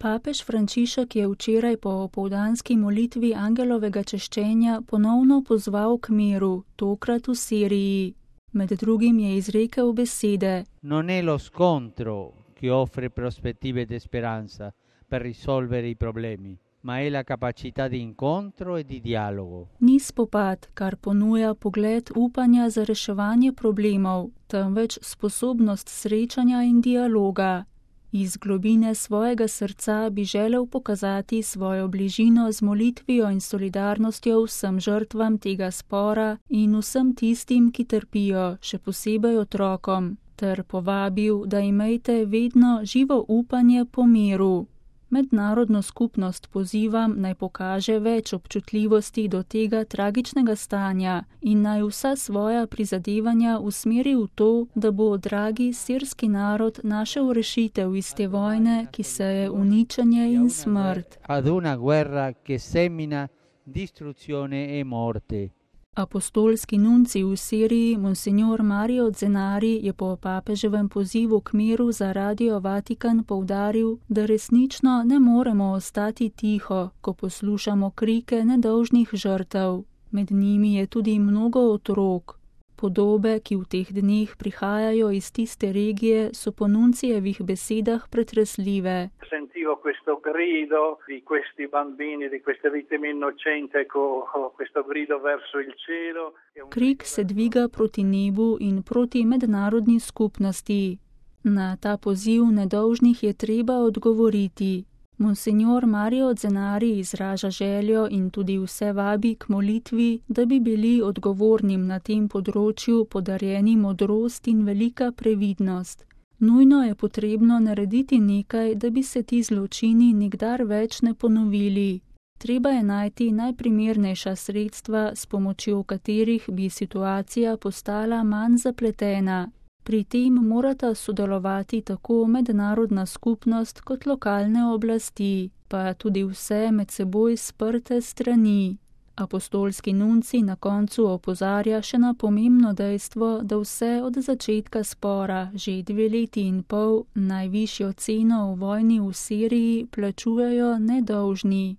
Papež Frančišek je včeraj po opoldanski molitvi angelovega češčenja ponovno pozval k miru, tokrat v Siriji. Med drugim je izrekel besede: Non è lo scontro che offre prospettive di speranza per risolvere i problemi, ma è la capacità di incontro e di dialogo. Ni spopad, kar ponuja pogled upanja za reševanje problemov, temveč sposobnost srečanja in dialoga. Iz globine svojega srca bi želel pokazati svojo bližino z molitvijo in solidarnostjo vsem žrtvam tega spora in vsem tistim, ki trpijo, še posebej otrokom, ter povabil, da imejte vedno živo upanje po miru. Mednarodno skupnost pozivam, naj pokaže več občutljivosti do tega tragičnega stanja in naj vsa svoja prizadevanja usmeri v to, da bo dragi sirski narod našel rešitev iz te vojne, ki seje uničenje in smrt. Ad una guerra che semina distruzione e morte. Apostolski nuncij v Siriji, monsignor Mario Zenari, je po papeževem pozivu k miru za Radio Vatikan poudaril, da resnično ne moremo ostati tiho, ko poslušamo krike nedolžnih žrtev. Med njimi je tudi mnogo otrok. Podobe, ki v teh dneh prihajajo iz tiste regije, so po nuncijevih besedah pretresljive. Sentivo questo grido di questi bambini, di queste vittime innocenti, questo grido verso il cielo. Krik se dviga proti nebu in proti mednarodni skupnosti. Na ta poziv nedolžnih je treba odgovoriti. Monsignor Mario Zenari izraža željo in tudi vse vabi k molitvi, da bi bili odgovornim na tem področju podarjeni modrost in velika previdnost. Nujno je potrebno narediti nekaj, da bi se ti zločini nikdar več ne ponovili. Treba je najti najprimernejša sredstva, s pomočjo katerih bi situacija postala manj zapletena. Pri tem morata sodelovati tako mednarodna skupnost kot lokalne oblasti, pa tudi vse med seboj sprte strani. Apostolski nuncij na koncu opozarja še na pomembno dejstvo, da vse od začetka spora, že 2 leti in pol, najvišjo ceno v vojni v Siriji plačujejo nedolžni.